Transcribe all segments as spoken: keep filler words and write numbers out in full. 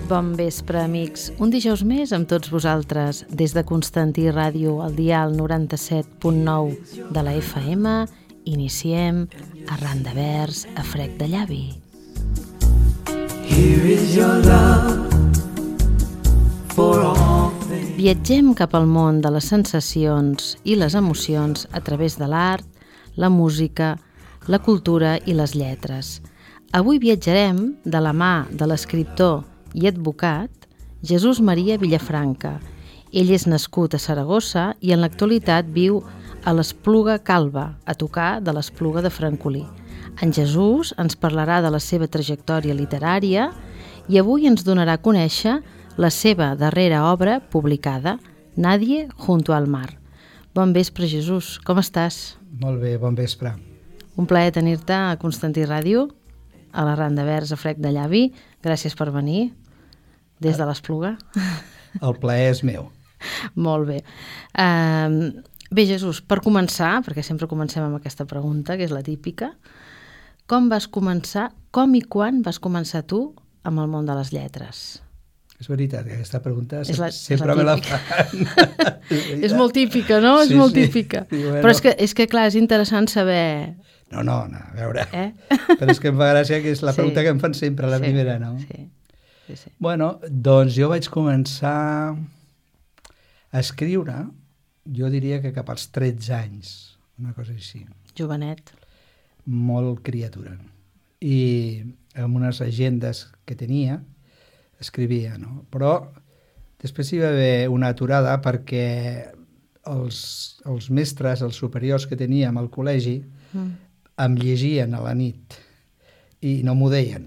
Bon vespre, amics. Un dijous més amb tots vosaltres, des de Constantí Ràdio, al dial noranta-set punt nou de la F M, iniciem Arran de vers a frec de llavi. Viatgem cap al món de les sensacions i les emocions a través de l'art, la música, la cultura i les lletres. Avui viatjarem de la mà de l'escriptor i advocat Jesús Maria Villafranca. Ell és nascut a Saragossa i en l'actualitat viu a l'Espluga Calba, a tocar de l'Espluga de Francolí. En Jesús ens parlarà de la seva trajectòria literària i avui ens donarà a conèixer la seva darrera obra publicada, Nadie junto al mar. Bon vespre, Jesús. Com estàs? Molt bé, bon vespre. Un plaer tenir-te a Constantí Ràdio, a l'Arran de vers a frec de llavi. Gràcies per venir des de l'Espluga. El plaer és meu. Molt bé. Uh, bé, Jesús, per començar, perquè sempre comencem amb aquesta pregunta, que és la típica, com vas començar, com i quan vas començar tu amb el món de les lletres? És veritat, que aquesta pregunta és la, sempre és la me la fan. És molt típica, no? Sí, és molt sí. típica. I bueno. Però és que, és que, clar, és interessant saber... No, no, no, a veure. Eh? Però és que em fa gràcia que és la Sí. pregunta que em fan sempre, la Sí, primera, no? Sí, sí, sí. Bueno, doncs jo vaig començar a escriure, jo diria que cap als tretze anys, una cosa així. Jovenet. Molt criatura. I amb unes agendes que tenia, escrivia, no? Però després hi va haver una aturada perquè els, els mestres, els superiors que teníem al col·legi, mm. em llegien a la nit i no m'ho deien.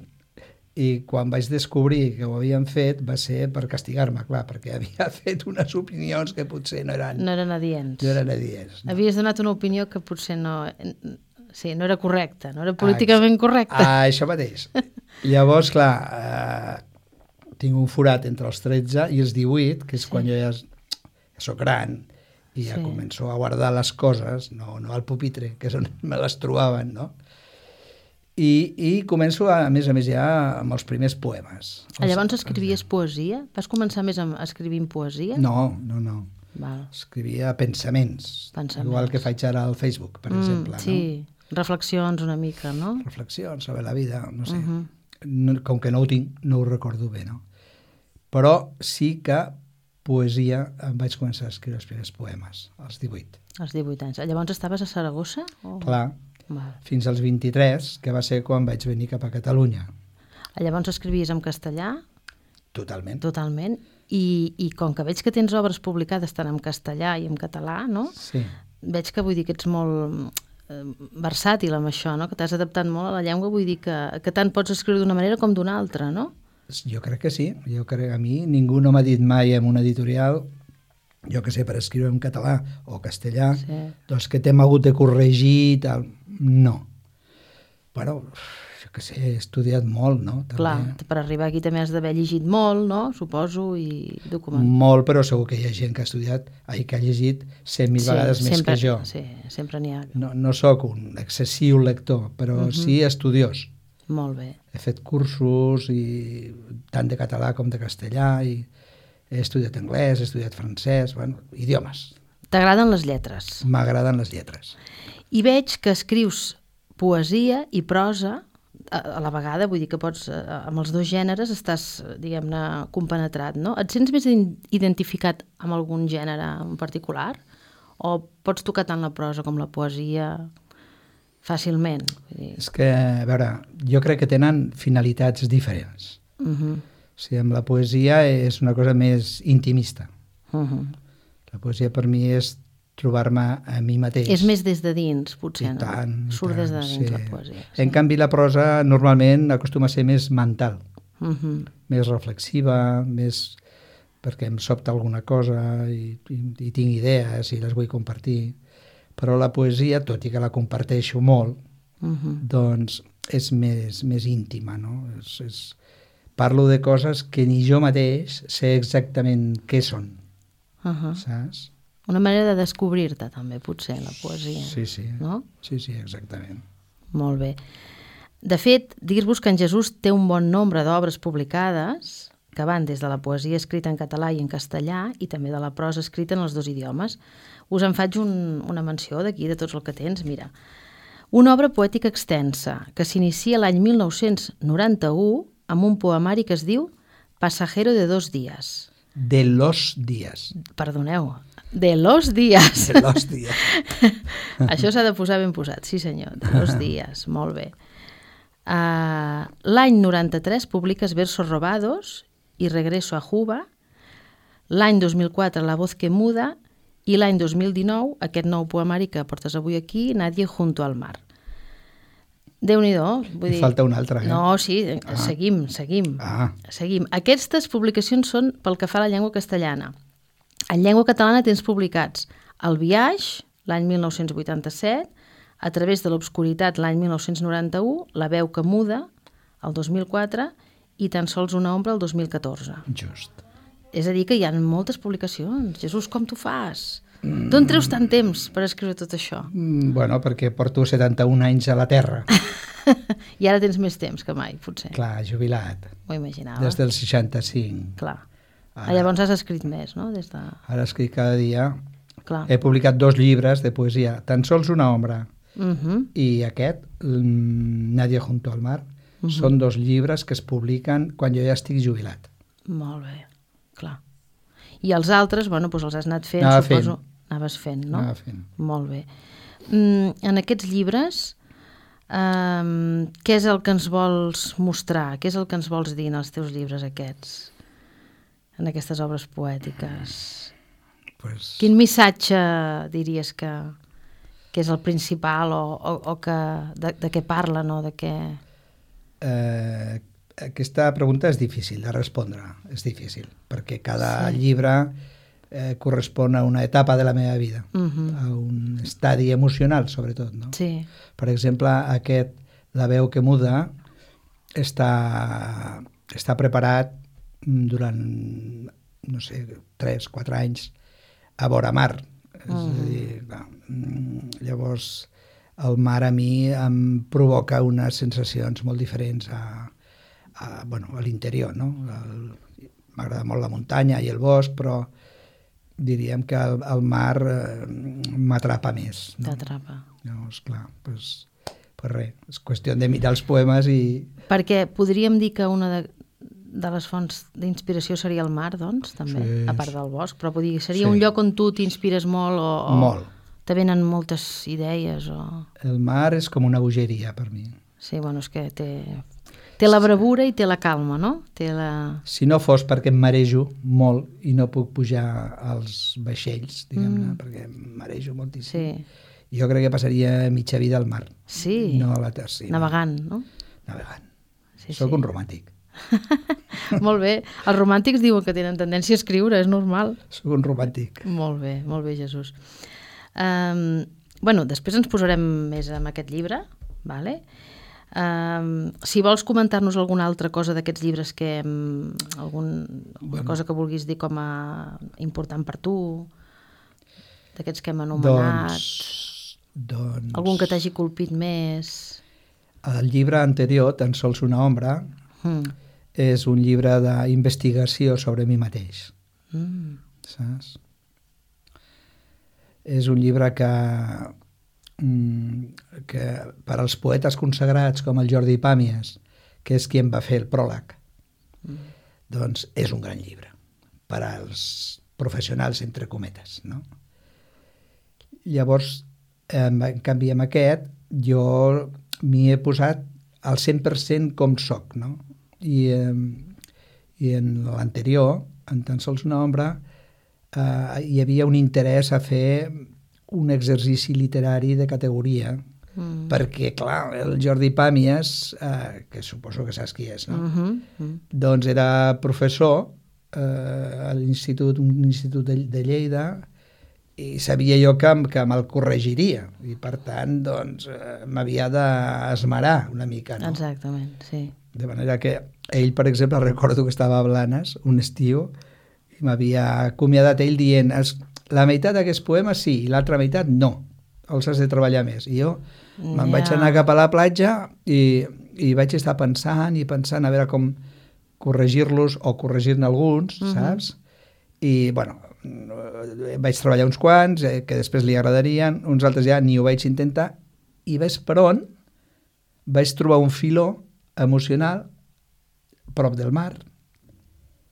I quan vaig descobrir que ho havien fet va ser per castigar-me, clar, perquè havia fet unes opinions que potser no eren... No eren adients. No eren adients. No. Havies donat una opinió que potser no... Sí, no era correcta, no era políticament ah, correcta. Ah, això mateix. Llavors, clar, eh, tinc un forat entre els tretze i els divuit, que és sí. quan jo ja, ja soc gran i ja sí. començo a guardar les coses, no, no al pupitre, que és on me les trobaven, no? I, i començo, a, a més a més, ja amb els primers poemes. Els, Llavors escrivies els... poesia? Vas començar més amb escrivint poesia? No, no, no. Val. Escrivia pensaments, pensaments, igual que faig ara al Facebook, per mm, exemple. Sí, no? Reflexions una mica, no? Reflexions sobre la vida, no sé. Uh -huh. no, com que no ho tinc, no ho recordo bé, no? Però sí que poesia em vaig començar a escriure els primers poemes, als divuit. Als divuit anys. Llavors estaves a Saragossa? O... Clar, Val. Fins als vint-i-tres, que va ser quan vaig venir cap a Catalunya. Llavors escrivies en castellà? Totalment. Totalment. I, i com que veig que tens obres publicades tant en castellà i en català, no? Sí. Veig que vull dir que ets molt eh, versàtil amb això, no? Que t'has adaptat molt a la llengua, vull dir que, que tant pots escriure d'una manera com d'una altra, no? Jo crec que sí. Jo crec que a mi ningú no m'ha dit mai en una editorial, jo que sé, per escriure en català o castellà, sí. doncs que t'hem hagut de corregir i tal. No. Bueno, jo que sé, he estudiat molt, no? També. Clar, per arribar aquí també has d'haver llegit molt, no? Suposo, i documentat. Molt, però segur que hi ha gent que ha estudiat, ai, que ha llegit cent mil sí, vegades sempre, més que jo. Sí, sempre n'hi ha. No, no sóc un excessiu lector, però uh -huh. sí estudiós. Molt bé. He fet cursos, i tant de català com de castellà, i he estudiat anglès, he estudiat francès, bueno, idiomes. T'agraden les lletres? M'agraden les lletres. I veig que escrius poesia i prosa a, a la vegada, vull dir que pots, amb els dos gèneres estàs, diguem-ne, compenetrat, no? Et sents més identificat amb algun gènere en particular? O pots tocar tant la prosa com la poesia fàcilment? Vull dir... És que, a veure, jo crec que tenen finalitats diferents. Uh-huh. O sigui, amb la poesia és una cosa més intimista. Uh-huh. La poesia per mi és trobar-me a mi mateix. És més des de dins, potser, I tant, no? Surt tant, des de dins, sí. la poesia. Sí. En canvi, la prosa normalment acostuma a ser més mental, uh-huh. més reflexiva, més perquè em sobta alguna cosa i, i, i tinc idees i les vull compartir. Però la poesia, tot i que la comparteixo molt, uh-huh. doncs és més, més íntima, no? És, és... Parlo de coses que ni jo mateix sé exactament què són, uh-huh. saps? Una manera de descobrir-te, també, potser, la poesia. Sí, sí. No? Sí, sí, exactament. Molt bé. De fet, dir-vos que en Jesús té un bon nombre d'obres publicades que van des de la poesia escrita en català i en castellà i també de la prosa escrita en els dos idiomes. Us en faig un, una menció d'aquí, de tots el que tens. Mira, una obra poètica extensa que s'inicia l'any mil nou-cents noranta-u amb un poemari que es diu Pasajero de dos días. De los días. Perdoneu, de los días. De los días. Això s'ha de posar ben posat, sí senyor, de los días, molt bé. Uh, l'any noranta-tres publiques Versos robados i Regreso a Juba, l'any dos mil quatre La voz que muda i l'any dos mil dinou aquest nou poemari que portes avui aquí, Nadie junto al mar. Déu-n'hi-do. Vull dir... Falta un altre, eh? No, sí, ah. seguim, seguim. Ah. seguim. Aquestes publicacions són pel que fa a la llengua castellana. En llengua catalana tens publicats El viaix, l'any mil nou-cents vuitanta-set, A través de l'obscuritat, l'any mil nou-cents noranta-u, La veu que muda, el dos mil quatre, i Tan sols una ombra, el dos mil catorze. Just. És a dir, que hi ha moltes publicacions. Jesús, com t'ho fas? Mm. D'on treus tant temps per escriure tot això? Mm, bueno, perquè porto setanta-un anys a la Terra. I ara tens més temps que mai, potser. Clar, jubilat. M'ho imaginava. Des del seixanta-cinc. Clar. Ara, Llavors has escrit més, no? Des de... Ara escric cada dia. Clar. He publicat dos llibres de poesia, Tan sols una ombra, uh-huh. i aquest, Nadie junto al mar, uh-huh. són dos llibres que es publiquen quan jo ja estic jubilat. Molt bé, clar. I els altres, bueno, doncs els has anat fent, Anava suposo. Fent. Anaves fent, no? Anava fent. Molt bé. Mm, en aquests llibres, um, què és el que ens vols mostrar? Què és el que ens vols dir en els teus llibres aquests? En aquestes obres poètiques? Pues... Quin missatge diries que, que és el principal o, o, o que, de, de què parlen o de què... Eh, aquesta pregunta és difícil de respondre, és difícil, perquè cada sí. llibre eh, correspon a una etapa de la meva vida, uh-huh. a un estadi emocional, sobretot, no? Sí. Per exemple, aquest, La veu que muda, està, està preparat durant, no sé, tres, quatre anys a vora mar. És uh-huh. a dir, clar, llavors el mar a mi em provoca unes sensacions molt diferents a, a, bueno, a l'interior, no? El, m'agrada molt la muntanya i el bosc, però diríem que el, el mar eh, m'atrapa més. No? T'atrapa. Llavors, clar, doncs, pues res, és qüestió de mirar els poemes i... Perquè podríem dir que una de, de les fonts d'inspiració seria el mar, doncs, també, sí. a part del bosc, però vull dir, seria sí. un lloc on tu t'inspires molt o, o molt. Te venen moltes idees o... El mar és com una bogeria per mi. Sí, bueno, és que té... Té la bravura i té la calma, no? Té la... Si no fos perquè em marejo molt i no puc pujar als vaixells, diguem-ne, mm. perquè em marejo moltíssim. Sí. Jo crec que passaria mitja vida al mar. Sí. No a la terra. Navegant, no? Navegant. Sí, Soc sí. un romàntic. Molt bé. Els romàntics diuen que tenen tendència a escriure, és normal. Soc un romàntic. Molt bé, molt bé, Jesús. Um, bueno, després ens posarem més amb aquest llibre, vale? Um, si vols comentar-nos alguna altra cosa d'aquests llibres que um, algun, alguna bueno. cosa que vulguis dir com a important per tu, d'aquests que hem anomenat, doncs, doncs... algun que t'hagi colpit més. El llibre anterior, Tan sols una ombra, mm. és un llibre d'investigació sobre mi mateix. Mm. Saps? És un llibre que que per als poetes consagrats com el Jordi Pàmies, que és qui em va fer el pròleg, mm. doncs és un gran llibre per als professionals, entre cometes, no? Llavors, en canvi, amb aquest, jo m'hi he posat al cent per cent com soc, no? I, i en l'anterior, en Tan sols una ombra, eh, hi havia un interès a fer un exercici literari de categoria, mm. perquè, clar, el Jordi Pàmies, eh, que suposo que saps qui és, no? Uh-huh. Mm. Doncs era professor eh, a l'institut, un institut de, de Lleida, i sabia jo que, que me'l corregiria, i per tant, doncs, eh, m'havia d'esmerar una mica, no? Exactament, sí. De manera que ell, per exemple, recordo que estava a Blanes un estiu, i m'havia acomiadat ell dient... Els, la meitat d'aquests poemes sí, i l'altra meitat no. Els has de treballar més. I jo me'n yeah. vaig anar cap a la platja i, i vaig estar pensant i pensant a veure com corregir-los o corregir-ne alguns, uh-huh. saps? I, bueno, vaig treballar uns quants eh, que després li agradarien, uns altres ja ni ho vaig intentar, i ves per on vaig trobar un filó emocional prop del mar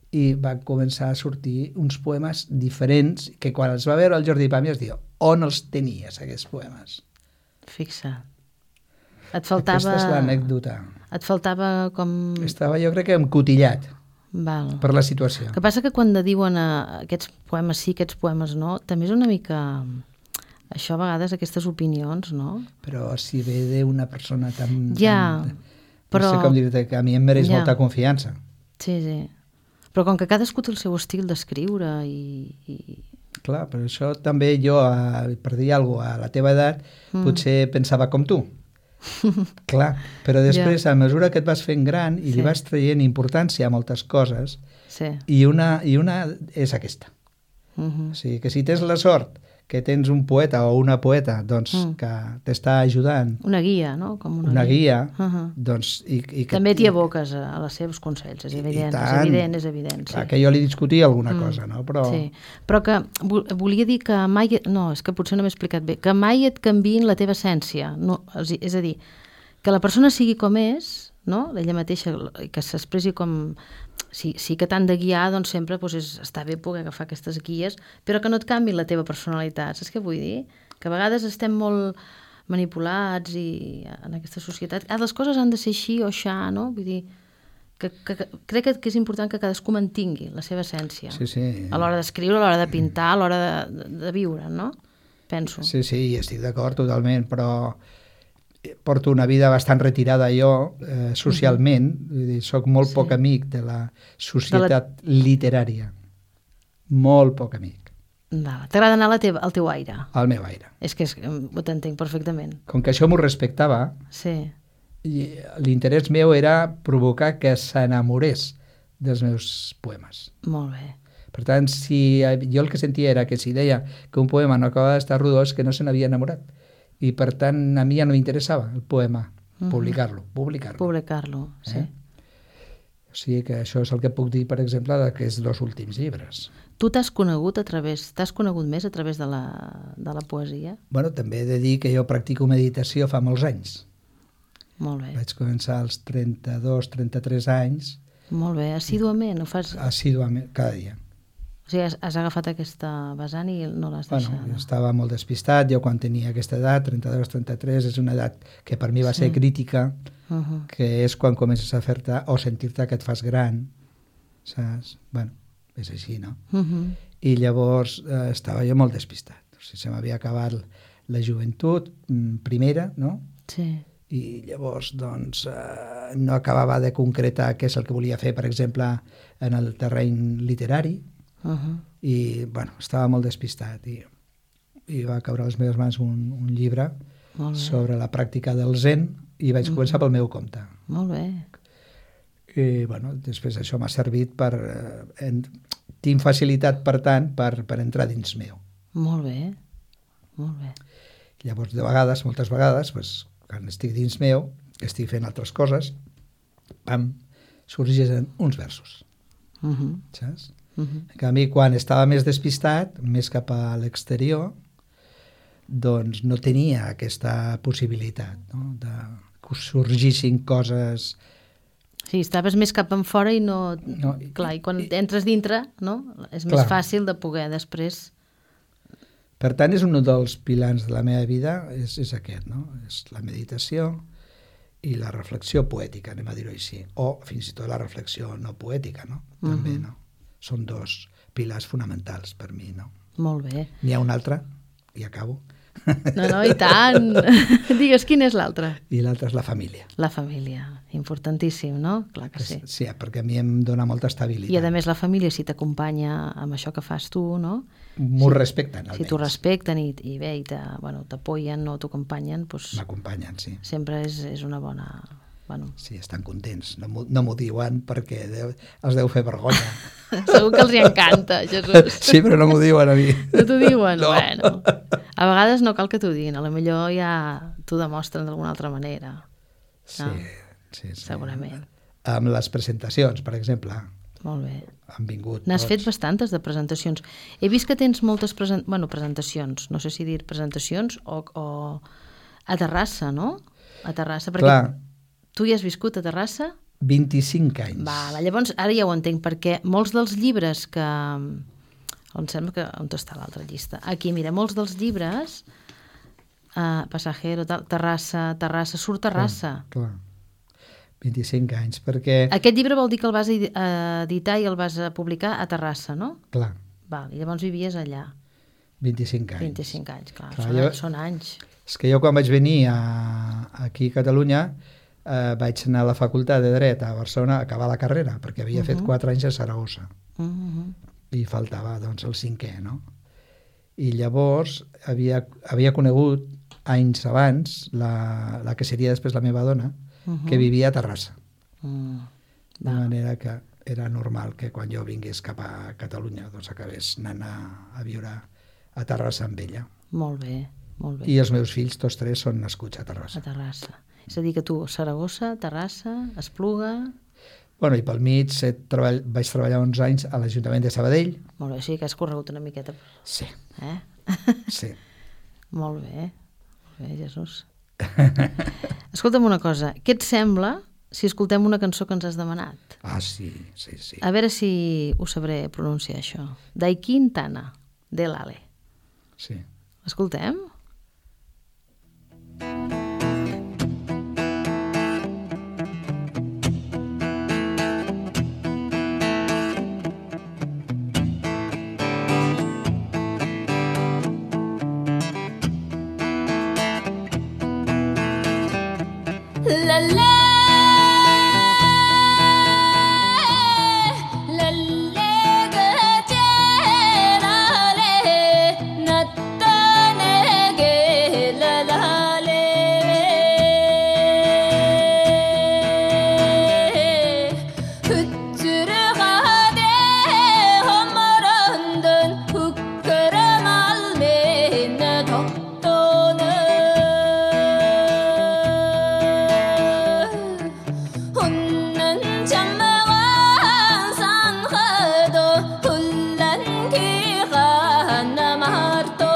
i van començar a sortir uns poemes diferents que quan els va veure el Jordi Pàmies diu, on els tenies aquests poemes? Fixa. Et faltava... Aquesta és l'anècdota. Et faltava com... Estava jo crec que encotillat Val. Per la situació. El que passa que quan diuen uh, aquests poemes sí, aquests poemes no, també és una mica... Això a vegades, aquestes opinions, no? Però si ve d'una persona tan... Ja, tan, però... No sé com dir-te, que a mi em mereix ja. molta confiança. Sí, sí. Però com que cadascú té el seu estil d'escriure i, i... Clar, però això també jo, a, per dir alguna cosa, a la teva edat, mm. potser pensava com tu. Clar, però després, ja. a mesura que et vas fent gran i sí. li vas traient importància a moltes coses, sí. i, una, i una és aquesta. Uh-huh. O sigui, que si tens la sort que tens un poeta o una poeta doncs, mm. que t'està ajudant. Una guia, no? Com una, una guia. guia uh-huh. doncs, i, i que, també t'hi aboques a, a les seus consells, és evident, és evident, és evident. Clar, sí. que jo li discutia alguna mm. cosa, no? Però... Sí. Però que volia dir que mai... No, és que potser no m'he explicat bé. Que mai et canviïn la teva essència. No, és a dir, que la persona sigui com és, no? Ella mateixa, que s'expressi com... Sí, sí que t'han de guiar, doncs sempre doncs és, està bé poder agafar aquestes guies, però que no et canviïn la teva personalitat. Saps què vull dir? Que a vegades estem molt manipulats i en aquesta societat. Ah, les coses han de ser així o aixà, no? Vull dir, que, que, que crec que, que és important que cadascú mantingui la seva essència. Sí, sí. A l'hora d'escriure, a l'hora de pintar, a l'hora de, de, de viure, no? Penso. Sí, sí, estic d'acord totalment, però porto una vida bastant retirada jo, eh, socialment, uh-huh. vull dir, soc molt sí. poc amic de la societat de la... literària. Molt poc amic. T'agrada anar la teva, al teu aire? Al meu aire. És que és, ho t'entenc perfectament. Com que això m'ho respectava, sí. l'interès meu era provocar que s'enamorés dels meus poemes. Molt bé. Per tant, si jo el que sentia era que si deia que un poema no acabava d'estar rodó és que no se n'havia enamorat. I per tant a mi ja no m'interessava el poema, uh-huh. publicar-lo, publicar-lo. Publicar-lo, sí. Eh? O sigui que això és el que puc dir, per exemple, d'aquests dos últims llibres. Tu t'has conegut a través, t'has conegut més a través de la, de la poesia? Bueno, també he de dir que jo practico meditació fa molts anys. Molt bé. Vaig començar als trenta-dos, trenta-tres anys. Molt bé, assíduament ho fas? Assíduament, cada dia. O sigui, has, has agafat aquesta vessant i no l'has bueno, deixat. Bueno, estava molt despistat, jo quan tenia aquesta edat, trenta-dos, trenta-tres, és una edat que per mi va sí. ser crítica, uh-huh. que és quan comences a fer-te o sentir-te que et fas gran, saps? Bueno, és així, no? Uh-huh. I llavors eh, estava jo molt despistat. O sigui, se m'havia acabat la joventut primera, no? Sí. I llavors, doncs, eh, no acabava de concretar què és el que volia fer, per exemple, en el terreny literari, uh-huh. i, bueno, estava molt despistat i, i va caure a les meves mans un, un llibre sobre la pràctica del zen i vaig uh-huh. començar pel meu compte. Molt bé. I, bueno, després això m'ha servit per... Eh, en, tinc facilitat, per tant, per, per entrar dins meu. Molt bé, molt bé. Llavors, de vegades, moltes vegades, pues, quan estic dins meu, que estic fent altres coses, pam, sorgeixen uns versos. Uh-huh. Saps? Uh-huh. En canvi, quan estava més despistat, més cap a l'exterior, doncs no tenia aquesta possibilitat, no? De que sorgissin coses... Sí, estaves més cap en fora i no... no clar, i quan i, entres dintre, no? És clar. Més fàcil de poder després... Per tant, és un dels pilars de la meva vida, és, és aquest, no? És la meditació i la reflexió poètica, anem a dir-ho així. O fins i tot la reflexió no poètica, no? També, uh-huh. no? Són dos pilars fonamentals per mi, no? Molt bé. N'hi ha un altre, i acabo. No, no, i tant. Digues, quin és l'altre? I l'altre és la família. La família, importantíssim, no? Clar que sí. Sí, perquè a mi em dona molta estabilitat. I a més la família, si t'acompanya amb això que fas tu, no? M'ho si, respecten, almenys. Si t'ho respecten i, i bé, i bueno, t'apoyen o t'acompanyen, doncs... M'acompanyen, sí. Sempre és, és una bona... Bueno. Sí, estan contents. No m'ho no diuen perquè deu, els deu fer vergonya. Segur que els hi encanta, Jesús. Sí, però no m'ho diuen a mi. No t'ho diuen? No. Bueno. A vegades no cal que t'ho diguin, a lo millor ja t'ho demostren d'alguna altra manera. Sí, No? sí, sí. Segurament. Amb les presentacions, per exemple, Molt bé. han vingut N'has fet tots. bastantes de presentacions. He vist que tens moltes presen... bueno, presentacions, no sé si dir presentacions o, o a Terrassa, no? A Terrassa, perquè Clar. tu hi has viscut a Terrassa? vint-i-cinc anys. Val, llavors ara ja ho entenc, perquè molts dels llibres que... Em sembla que... On està l'altra llista? Aquí, mira, molts dels llibres, uh, Passajero, tal, Terrassa, Terrassa, surt Terrassa. Clar, clar. vint-i-cinc anys, perquè... Aquest llibre vol dir que el vas edi- eh, editar i el vas eh, publicar a Terrassa, no? Clar, Val, i llavors vivies allà. vint-i-cinc anys. vint-i-cinc anys, clar, Clar, són, jo- són anys. És que jo quan vaig venir a, aquí a Catalunya eh, vaig anar a la facultat de Dret a Barcelona a acabar la carrera, perquè havia uh -huh. fet quatre anys a Saragossa. Uh -huh. I faltava doncs el cinquè, no? I llavors havia, havia conegut anys abans la, la que seria després la meva dona, Uh -huh. que vivia a Terrassa. Mm. De manera que era normal que quan jo vingués cap a Catalunya doncs acabés anant a, a viure a Terrassa amb ella. Molt bé, molt bé. I els meus fills, tots tres, són nascuts a A Terrassa. Terrassa. És a dir, que tu, Saragossa, Terrassa, Espluga... Bueno, i pel mig he treball, vaig treballar uns anys a l'Ajuntament de Sabadell. Molt bé, sí que has corregut una miqueta. Sí, Eh? sí. Molt bé, molt bé, Jesús. Escolta'm una cosa, què et sembla si escoltem una cançó que ens has demanat? Ah, sí, sí, sí. A veure si ho sabré pronunciar, això. Daikin Tana, de l'Ale. Sí. Escoltem? La la la la ga la le natta ne ge la la le hutsuru ga de homarandın hukkaram alme na dottonu 혼난 잠마와 산하도 혼란 기가 남아도록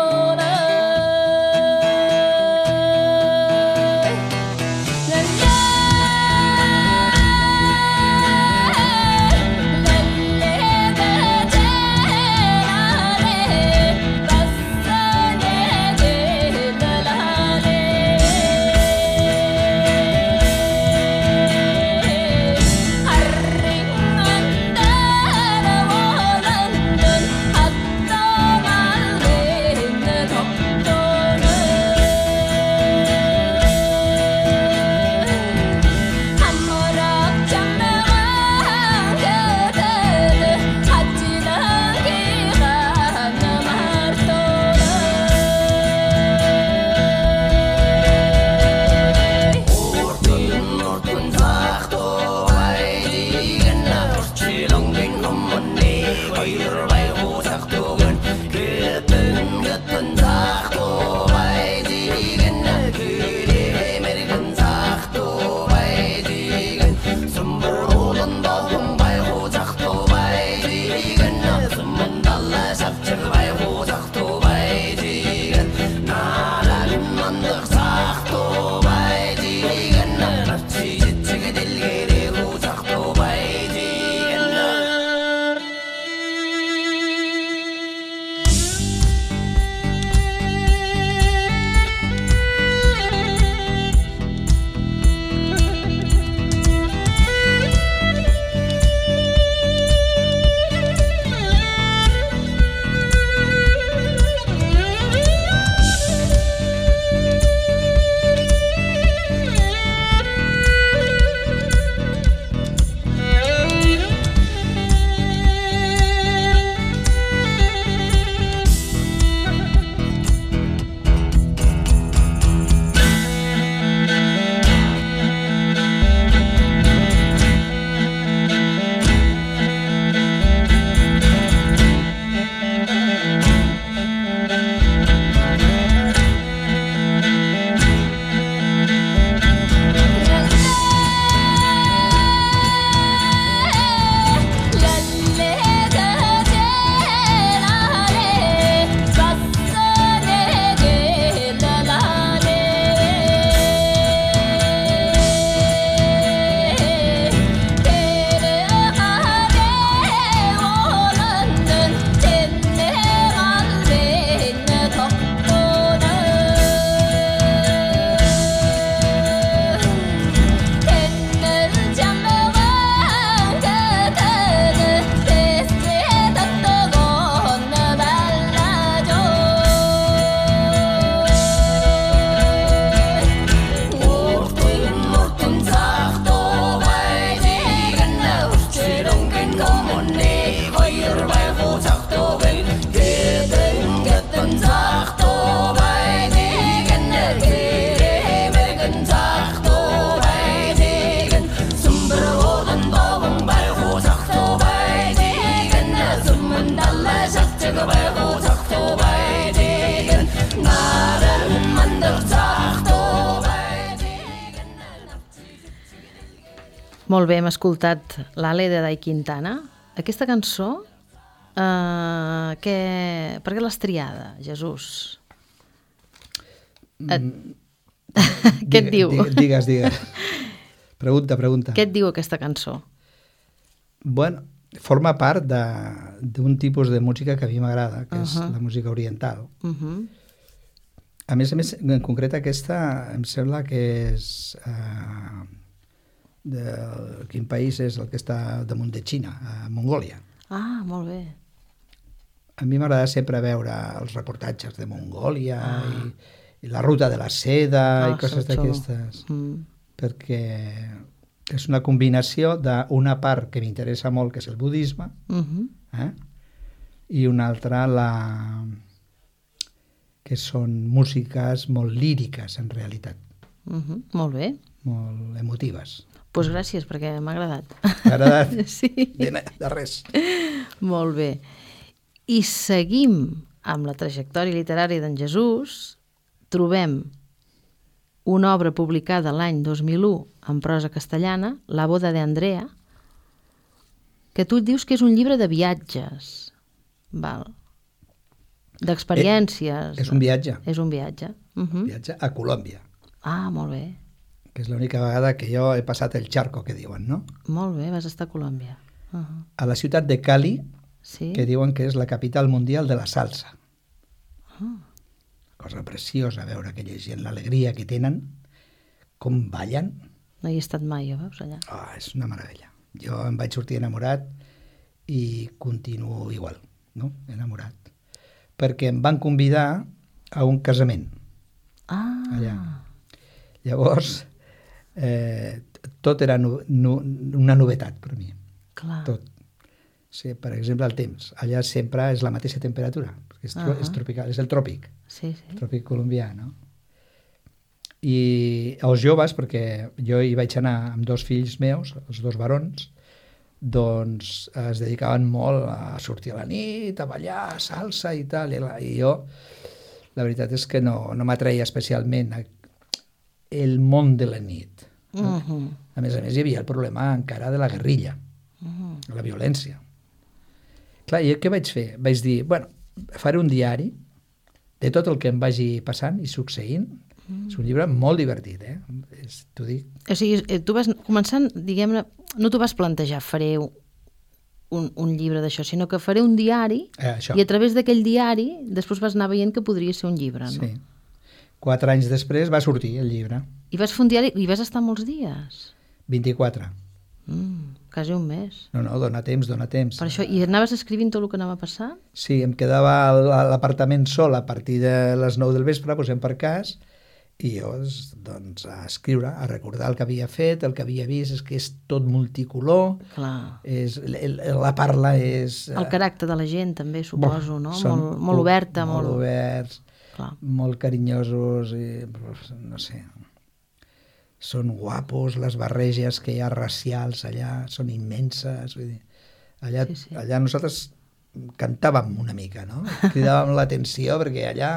Molt bé, hem escoltat l'Ale de Dai Quintana. Aquesta cançó, eh, que... per què l'has triada, Jesús? Et... Mm. Què et diu? Digues, digues. Pregunta, pregunta. Què et diu aquesta cançó? Bueno, forma part d'un tipus de música que a mi m'agrada, que uh -huh. és la música oriental. Uh -huh. A més a més, en concret aquesta em sembla que és... Uh, de quin país és el que està damunt de Xina, a Mongòlia. Ah, molt bé. A mi m'agrada sempre veure els reportatges de Mongòlia ah. i, i la ruta de la seda ah, i coses xulo. d'aquestes. Mm. Perquè és una combinació d'una part que m'interessa molt, que és el budisme, uh-huh. eh? i una altra la... que són músiques molt líriques, en realitat. Uh-huh. Molt bé. Molt emotives. Doncs pues gràcies, perquè m'ha agradat. M'ha agradat? Sí. De, de res. Molt bé. I seguim amb la trajectòria literària d'en Jesús. Trobem una obra publicada l'any dos mil u en prosa castellana, La boda de Andrea, que tu et dius que és un llibre de viatges, val? D'experiències. Eh, és un viatge. És un viatge. Uh-huh. Viatge a Colòmbia. Ah, molt bé. Que és l'única vegada que jo he passat el charco, que diuen, no? Molt bé, vas estar a Colòmbia. Uh-huh. A la ciutat de Cali, sí? que diuen que és la capital mundial de la salsa. Uh. Cosa preciosa veure aquella gent, l'alegria que tenen, com ballen. No hi he estat mai, jo, veus, allà? Oh, és una meravella. Jo em vaig sortir enamorat i continuo igual, no? Enamorat. Perquè em van convidar a un casament. Ah. Allà. Llavors, eh, tot era nu, nu, una novetat per mi. Clar. Tot. Sí, per exemple, el temps. Allà sempre és la mateixa temperatura, perquè és, uh-huh. és tropical, és el tròpic. Sí, sí. El tròpic colombià, no? I els joves, perquè jo hi vaig anar amb dos fills meus, els dos barons, doncs es dedicaven molt a sortir a la nit, a ballar, salsa i tal, i, la, i jo, la veritat és que no, no m'atreia especialment el món de la nit. Uh-huh. A més a més, hi havia el problema encara de la guerrilla, uh-huh. la violència. Clar, i què vaig fer? Vaig dir, bueno, faré un diari de tot el que em vagi passant i succeint. Mm. És un llibre molt divertit, eh? És, t'ho dic. O sigui, tu vas començant, diguem-ne, no t'ho vas plantejar, faré un, un llibre d'això, sinó que faré un diari eh, i a través d'aquell diari després vas anar veient que podria ser un llibre, no? Sí. Quatre anys després va sortir el llibre. I vas fer un diari i vas estar molts dies? vint-i-quatre. Mm, quasi un mes. No, no, dona temps, dona temps. Per això, i anaves escrivint tot el que anava passant? Sí, em quedava a l'apartament sol a partir de les nou del vespre, posem per cas, i jo, doncs, a escriure, a recordar el que havia fet, el que havia vist, és que és tot multicolor, clar. És, el, la parla és... El caràcter de la gent també, suposo, no? Són Molt, molt oberta. Molt, molt oberts, clar. molt carinyosos, i, no sé... Són guapos, les barreges que hi ha racials allà són immenses. Vull dir, allà, sí, sí. allà nosaltres cantàvem una mica, no? Cridàvem l'atenció perquè allà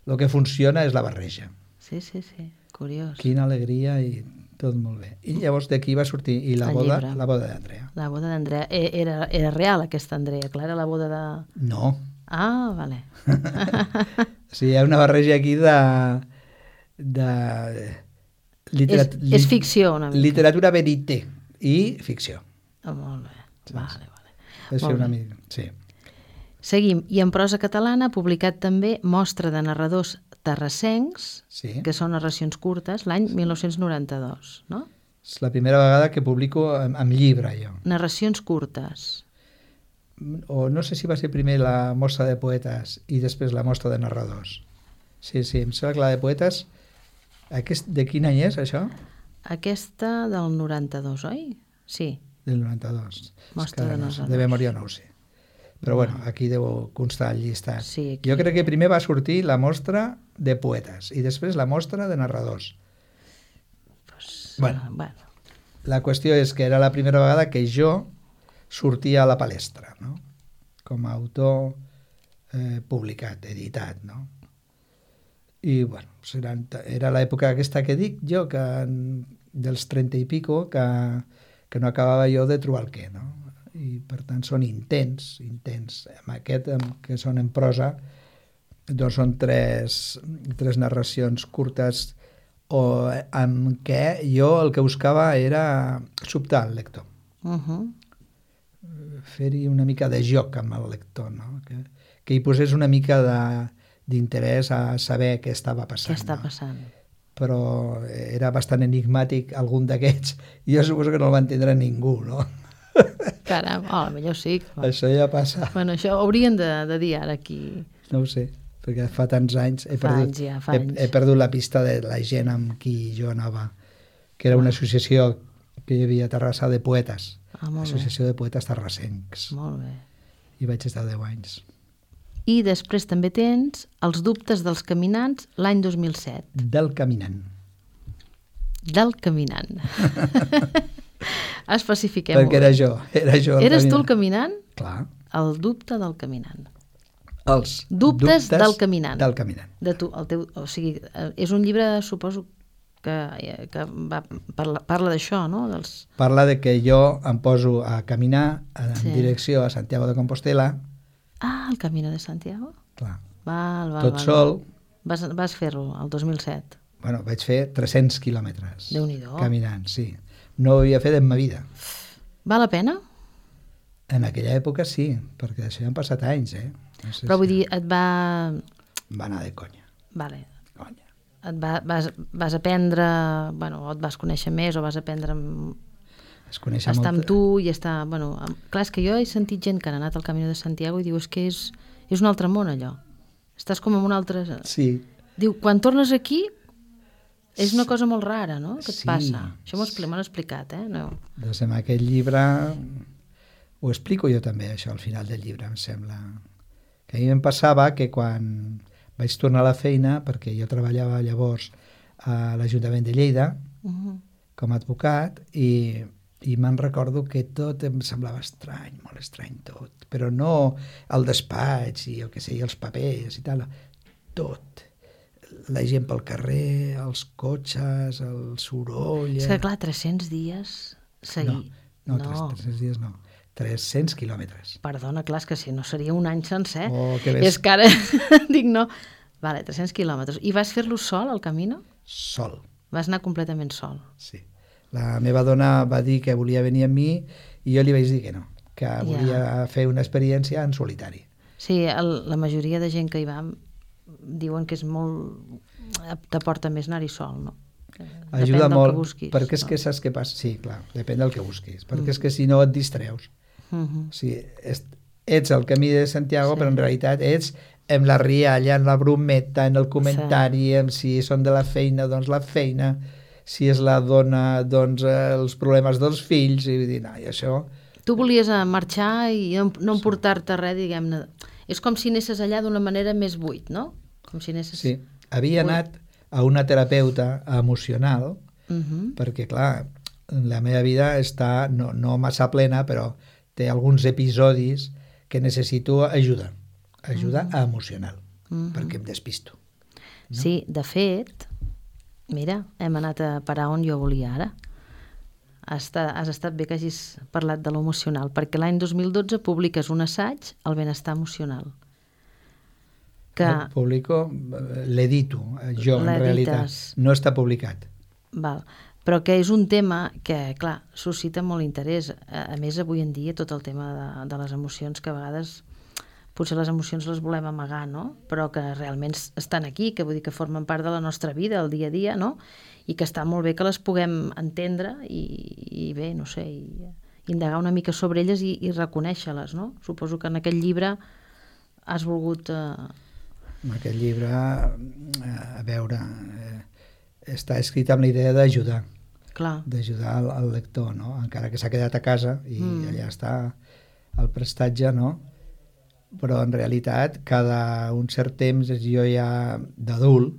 el que funciona és la barreja. Sí, sí, sí, curiós. Quina alegria i tot molt bé. I llavors d'aquí va sortir i la el boda, llibre. la boda d'Andrea. La boda d'Andrea. Era, era real aquesta Andrea, clar, era la boda de... No. Ah, vale. Sí, hi ha una barreja aquí de... de Literat és, és ficció una mica. Literatura verité i ficció. Oh, molt bé, sí, vale, vale. És una mica, sí. Seguim, i en prosa catalana ha publicat també Mostra de narradors terrassencs, sí. que són narracions curtes, l'any mil nou-cents noranta-dos, no? És la primera vegada que publico amb, amb llibre, jo. Narracions curtes. O no sé si va ser primer la mostra de poetes i després la mostra de narradors. Sí, sí, em sembla que la de poetes... Aquest, de quin any és, això? Aquesta del noranta-dos, oi? Sí. Del noranta-dos. Mostra de no, narradors. de memòria no ho sé. Però bueno, aquí deu constar el llistat. Sí, aquí... Jo crec que primer va sortir la mostra de poetes i després la mostra de narradors. Pues, bueno, uh, bueno. La qüestió és que era la primera vegada que jo sortia a la palestra, no? Com a autor eh, publicat, editat, no? I, bueno, seran, era l'època aquesta que dic jo, que dels trenta i pico, que, que no acabava jo de trobar el què, no? I, per tant, són intents, intents. Amb aquest, que són en prosa, doncs són tres, tres narracions curtes o amb què jo el que buscava era sobtar el lector. Uh-huh. Fer-hi una mica de joc amb el lector, no? Que, que hi posés una mica de, d'interès a saber què estava passant. Què està no? passant? Però era bastant enigmàtic algun d'aquests, i jo suposo que no el va entendre ningú, no? Caram, oh, millor sí. Això ja passa. Bueno, això ho haurien de, de dir ara aquí. No ho sé, perquè fa tants anys he, Fa perdut, anys ja, fa he, anys. he perdut la pista de la gent amb qui jo anava, que era una associació que hi havia a Terrassa de poetes, Ah, molt Associació de Poetes Terrassencs, bé. Molt bé. i vaig estar deu anys. I després també tens Els dubtes dels caminants l'any dos mil set. Del caminant. Del caminant. Especifiquem-ho. Perquè era jo, era jo el Eres caminant. tu el caminant? Clar. El dubte del caminant. Els Dubtes del caminant. Del caminant. De tu, el teu, o sigui, eh, és un llibre, suposo, que, eh, que va, parla, parla d'això, no? Dels... Parla de que jo em poso a caminar en Sí. direcció a Santiago de Compostela, Ah, el Camino de Santiago? clar, Val, val, tot val. sol. Vas, vas fer-lo, el dos mil set. Bueno, vaig fer tres-cents quilòmetres Déu-n'hi-do. caminant, sí. No ho havia fet en ma vida. Val la pena? En aquella època sí, perquè d'això ja han passat anys, eh? No sé Però vull si dir, et va... va anar de conya. Vale. conya. Et va, vas, vas aprendre... Bueno, o et vas conèixer més, o vas aprendre amb, Es coneixer estar amb molt... tu i estar... Bueno, amb, clar, és que jo he sentit gent que ha anat al Camino de Santiago i diu, és que és, és un altre món, allò. Estàs com en un altre... Sí, Diu, quan tornes aquí, és una cosa molt rara, no?, que et Sí. passa. Això m'ho expli- m'ho han explicat, eh? No. doncs en aquest llibre ho explico jo també, això, al final del llibre, em sembla. Que a mi em passava que quan vaig tornar a la feina, perquè jo treballava llavors a l'Ajuntament de Lleida, Uh -huh. com a advocat, i, i me'n recordo que tot em semblava estrany, molt estrany tot, però no el despatx i el que sé, i els papers i tal, tot. La gent pel carrer, els cotxes, el soroll... És que, clar, tres-cents dies seguir... No, no, tres-cents dies no, tres-cents quilòmetres. Perdona, clar, és que si no seria un any sencer. Oh, que ves. És que ara dic no. Vale, tres-cents quilòmetres. I vas fer-lo sol, al Camino? Sol, Vas anar completament sol. sí. La meva dona va dir que volia venir amb mi i jo li vaig dir que no, que volia fer una experiència en solitari. Sí, el, la majoria de gent que hi va diuen que és molt... t'aporta més anar-hi sol, no? Que Ajuda depèn del molt, que busquis, perquè és no? que saps què passa? Sí, clar, depèn del que busquis, perquè és que si no et distreus. Mhm. O sigui, és, ets al camí de Santiago, Sí. però en realitat ets en la rialla, en la brometa, en el comentari, en si són de la feina, doncs la feina, si és la dona, doncs eh, els problemes dels fills, i vull dir, no, i això... Tu volies eh, marxar i no, no emportar-te res, diguem-ne. És com si anessis allà d'una manera més buit, no? Com si anessis... Sí, havia Buit. anat a una terapeuta emocional, Mhm. perquè, clar, la meva vida està no, no massa plena, però té alguns episodis que necessito ajuda, ajuda Mm. emocional, Mhm. perquè em despisto. Sí, de fet, mira, hem anat a parar on jo volia ara. Has estat, has estat bé que hagis parlat de l'emocional, perquè l'any dos mil dotze publiques un assaig, El benestar emocional, que... El publico, eh, l'edito, eh, jo en L'edites. realitat, no està publicat. Val. Però que és un tema que, clar, suscita molt interès. A, a més, avui en dia, tot el tema de, de les emocions, que a vegades potser les emocions les volem amagar, no? Però que realment estan aquí, que vull dir que formen part de la nostra vida, el dia a dia, no? I que està molt bé que les puguem entendre i, i bé, no sé, i indagar una mica sobre elles i, i reconèixer-les, no? Suposo que en aquest llibre has volgut... Eh... En aquest llibre, eh, a veure, eh, està escrit amb la idea d'ajudar, Clar. d'ajudar al, al lector, no? Encara que s'ha quedat a casa i Mm. allà està el prestatge, no? Però en realitat, cada un cert temps, jo ja d'adult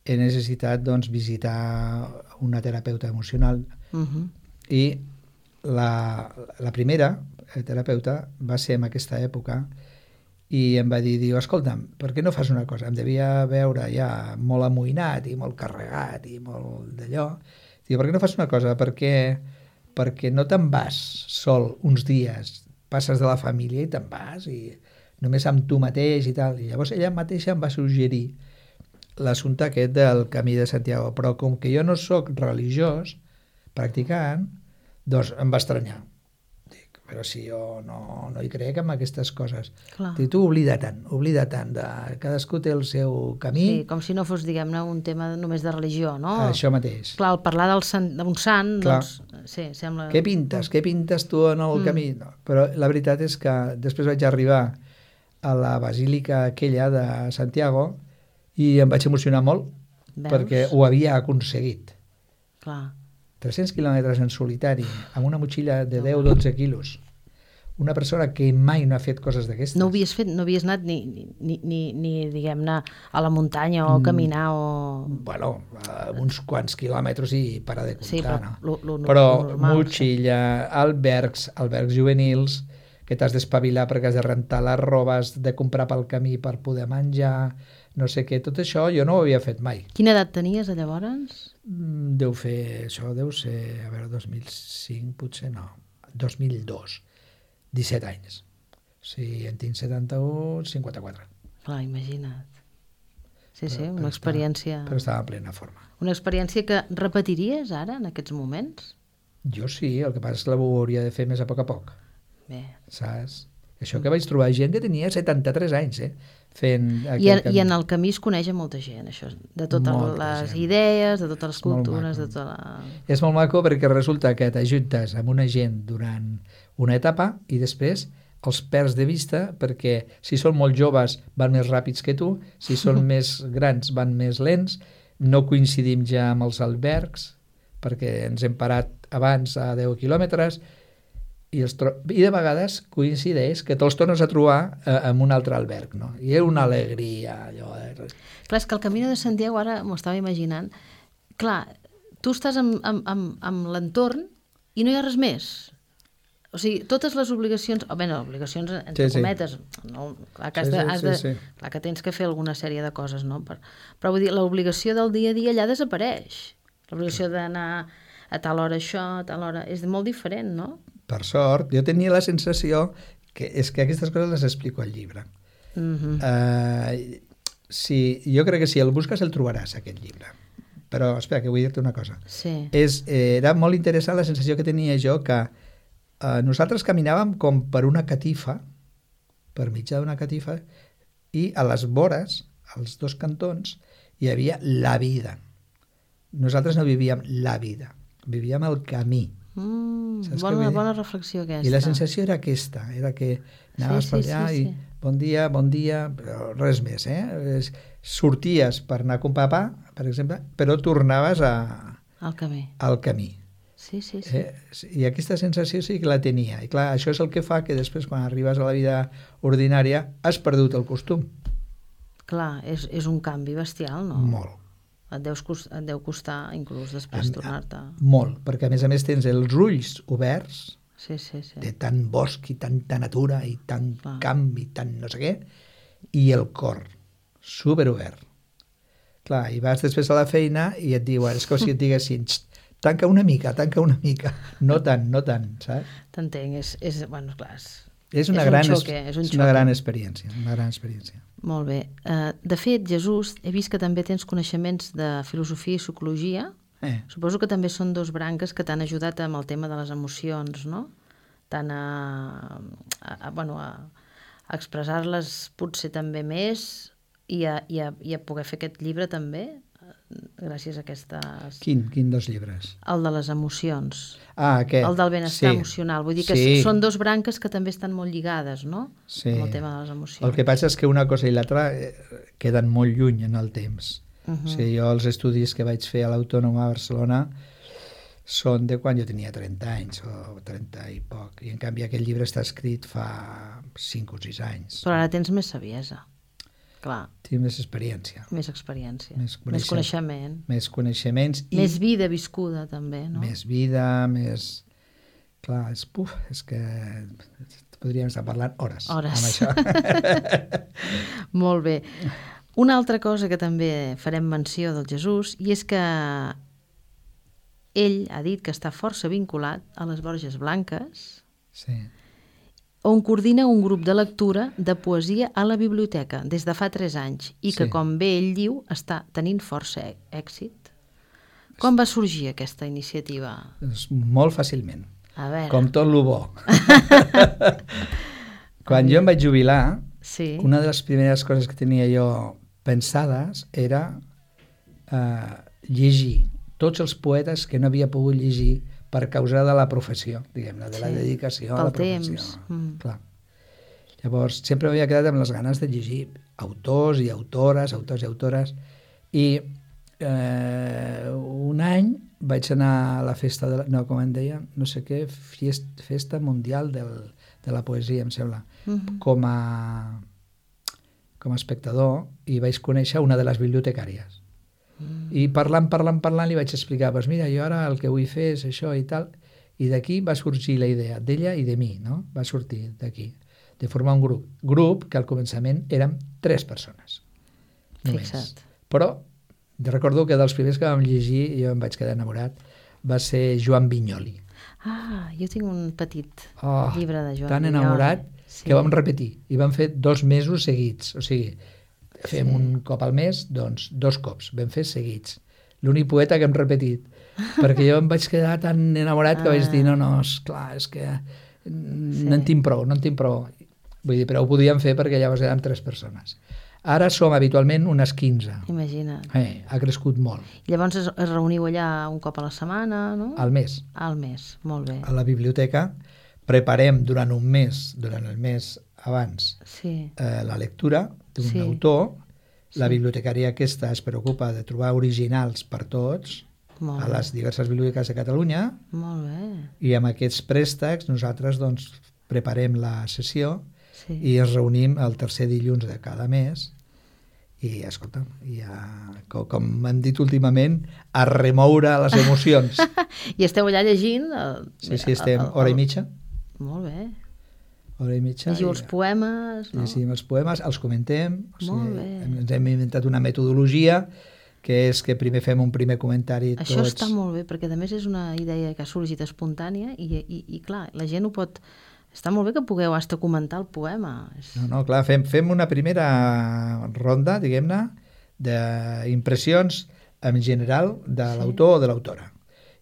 he necessitat doncs, visitar una terapeuta emocional Uh-huh. i la, la primera terapeuta va ser en aquesta època i em va dir, diu, escolta'm, per què no fas una cosa? Em devia veure ja molt amoïnat i molt carregat i molt d'allò. Diu, per què no fas una cosa? Perquè, perquè no te'n vas sol uns dies, passes de la família i te'n vas, i només amb tu mateix i tal. I llavors ella mateixa em va suggerir l'assumpte aquest del Camí de Santiago, però com que jo no sóc religiós, practicant, doncs em va estranyar. Dic, però si jo no, no hi crec en aquestes coses. Clar. Dic, tu oblida tant, oblida tant, de, cadascú té el seu camí. Sí, com si no fos, diguem-ne, un tema només de religió, no? Això mateix. Clar, al parlar del sant, d'un sant, Clar. doncs, sí, sembla... Què pintes? Què pintes tu en el Mm. camí? No, però la veritat és que després vaig arribar a la basílica aquella de Santiago i em vaig emocionar molt. Veus? Perquè ho havia aconseguit. Clar. tres-cents quilòmetres en solitari, amb una motxilla de deu a dotze quilos. Una persona que mai no ha fet coses d'aquestes. No ho havies fet, no havies anat ni, ni, ni, ni diguem-ne, a la muntanya o Mm. caminar o... Bueno, uh, uns quants quilòmetres i para de comptar, Sí, però no? lo- lo- Però lo normal, motxilla, albergs, albergs juvenils, que t'has d'espavilar perquè has de rentar les robes, de comprar pel camí per poder menjar, no sé què, tot això jo no ho havia fet mai. Quina edat tenies, a llavors? Mm, Deu fer, això deu ser, a veure, dos mil cinc, potser no, dos mil dos, disset anys. Si en tinc setanta-u, cinquanta-quatre. Clar, imagina't. Sí, sí, Però- una però experiència... Però estava en plena forma. Una experiència que repetiries ara, en aquests moments? Jo sí, el que passa és que ho hauria de fer més a poc a poc, Bé. saps? Això que vaig trobar gent que tenia setanta-tres anys, eh? Fent I, aquest I en camí. el camí es coneix a molta gent, això, de totes Molta les gent. idees, de totes les És molt cultures, de maco. tota la... És molt maco perquè resulta que t'ajuntes amb una gent durant una etapa i després els perds de vista perquè si són molt joves van més ràpids que tu, si són més grans van més lents, no coincidim ja amb els albergs perquè ens hem parat abans a deu quilòmetres i, els tro... i de vegades coincideix que te'ls tornes a trobar eh, en un altre alberg, no? I és una alegria allò. Eh? Clar, és que el Camino de Santiago, ara m'ho estava imaginant, clar, tu estàs amb, amb, amb, amb l'entorn i no hi ha res més. O sigui, totes les obligacions, o bé, no, obligacions entre Sí, sí. cometes, no, clar, que has Sí, de, sí, has sí, de, sí. clar que tens que fer alguna sèrie de coses, no? Per, però vull dir, l'obligació del dia a dia allà desapareix. L'obligació d'anar a tal hora això, a tal hora... És molt diferent, no? Per sort, jo tenia la sensació que és que aquestes coses les explico al llibre. Mhm. Uh, si, jo crec que si el busques el trobaràs, aquest llibre. Però, espera, que vull dir-te una cosa. Sí. És, eh, era molt interessant la sensació que tenia jo que eh, nosaltres caminàvem com per una catifa, per mitjà d'una catifa, i a les vores, als dos cantons, hi havia la vida. Nosaltres no vivíem la vida, vivíem el camí. Mm, Saps què bona, vull dir? bona reflexió aquesta. I la sensació era aquesta, era que anaves Sí, per sí, allà sí, i sí. bon dia, bon dia, però res més, eh? Es- Sorties per anar a comprar pa, per exemple, però tornaves a, El camí. al camí. Sí, sí, sí. Eh? I aquesta sensació sí que la tenia. I clar, això és el que fa que després, quan arribes a la vida ordinària, has perdut el costum. Clar, és, és un canvi bestial, no? Molt. Et, deus cost, et deu costar inclús després Em- tornar-te... Molt, perquè a més a més tens els ulls oberts Sí, sí, sí. de tant bosc i tanta natura i tant Clar. camp i tant no sé què, i el cor superobert. Clar, i vas després a la feina i et diuen, és com si et diguessin, "Xt, tanca una mica, tanca una mica. No tant, no tant, saps? T'entenc, és, és... Bueno, clar, és, És una, És un gran, xoque, és un és una xoque. gran experiència, una gran experiència. molt bé. Uh, de fet, Jesús, he vist que també tens coneixements de filosofia i psicologia. Eh, Suposo que també són dos branques que t'han ajudat amb el tema de les emocions, no? Tant a, a, a, bueno, a, a expressar-les potser també més i a, i, a, i a poder fer aquest llibre també, eh, gràcies a aquestes... quin, quin dos llibres? El de les emocions, Ah, aquest. el del benestar sí. emocional. Vull dir que Sí. són dos branques que també estan molt lligades, no? Sí. Amb el tema de les emocions. El que passa és que una cosa i l'altra eh, queden molt lluny en el temps. Uh -huh. O sigui, jo els estudis que vaig fer a l'Autònoma a Barcelona són de quan jo tenia trenta anys o trenta i poc. I en canvi aquest llibre està escrit fa cinc o sis anys. Però ara tens més saviesa. Clar, Tinc més experiència, més experiència, Més més coneixement. coneixement, més coneixements i més vida viscuda també, no? més vida, més... Clar, és, puf, és que podríem estar parlant hores, Hores. amb això. Molt bé. Una altra cosa que també farem menció del Jesús, i és que ell ha dit que està força vinculat a les Borges Blanques, Sí. on coordina un grup de lectura de poesia a la biblioteca des de fa tres anys i que, Sí. com bé ell diu, està tenint força è- èxit. Com va sorgir aquesta iniciativa? Doncs molt fàcilment, A veure... com tot lo bo. Quan jo em vaig jubilar, Sí. una de les primeres coses que tenia jo pensades era eh, llegir tots els poetes que no havia pogut llegir per causa de la professió, diguem-ne, de la Sí, dedicació a pel la professió. temps, mm. Clar. Llavors, sempre m'havia quedat amb les ganes de llegir autors i autores, autors i autores, i eh, un any vaig anar a la festa, de la, no, com en deia, no sé què, fiest, festa mundial del, de la poesia, em sembla, Mhm. com a com a espectador, i vaig conèixer una de les bibliotecàries. Mm. I parlant, parlant, parlant, li vaig explicar, pues mira, jo ara el que vull fer és això i tal, i d'aquí va sorgir la idea d'ella i de mi, no? Va sortir d'aquí, de formar un grup. Grup que al començament érem tres persones. Només. Fixa't. Però recordo que dels primers que vam llegir, jo em vaig quedar enamorat, va ser Joan Vinyoli. Ah, jo tinc un petit Oh, llibre de Joan tan Vinyoli. enamorat Sí. que vam repetir. I vam fer dos mesos seguits. O sigui, fem Sí. un cop al mes, doncs dos cops. Vam fer seguits. L'únic poeta que hem repetit. Perquè jo em vaig quedar tan enamorat que Ah. vaig dir, no, no, esclar, és que mm, Sí. no en tinc prou, no en tinc prou. Vull dir, però ho podíem fer perquè llavors érem tres persones. Ara som habitualment unes quinze. Imagina't. Eh, ha crescut molt. Llavors es, es reuniu allà un cop a la setmana, no? Al mes. Al mes, molt bé. A la biblioteca preparem durant un mes, durant el mes abans, Sí, eh, la lectura d'un Sí. autor. La Sí. bibliotecària aquesta es preocupa de trobar originals per tots molt a bé. les diverses biblioteques de Catalunya, Molt bé, i amb aquests préstecs nosaltres doncs, preparem la sessió sí. i ens reunim el tercer dilluns de cada mes i, escolta, ja, com, com hem dit últimament, a remoure les emocions. I esteu allà llegint? El, Sí, sí, estem hora i mitja, Molt bé. hora i mitja. Llegiu i- els poemes, no? Llegim els poemes, els comentem, o sigui, Molt bé. ens hem inventat una metodologia que és que primer fem un primer comentari Això tots. està molt bé, perquè a més és una idea que ha sorgit espontània i, i, i clar, la gent ho pot... Està molt bé que pugueu hasta comentar el poema. És... No, no, clar, fem, fem una primera ronda, diguem-ne, d'impressions en general de Sí. l'autor o de l'autora.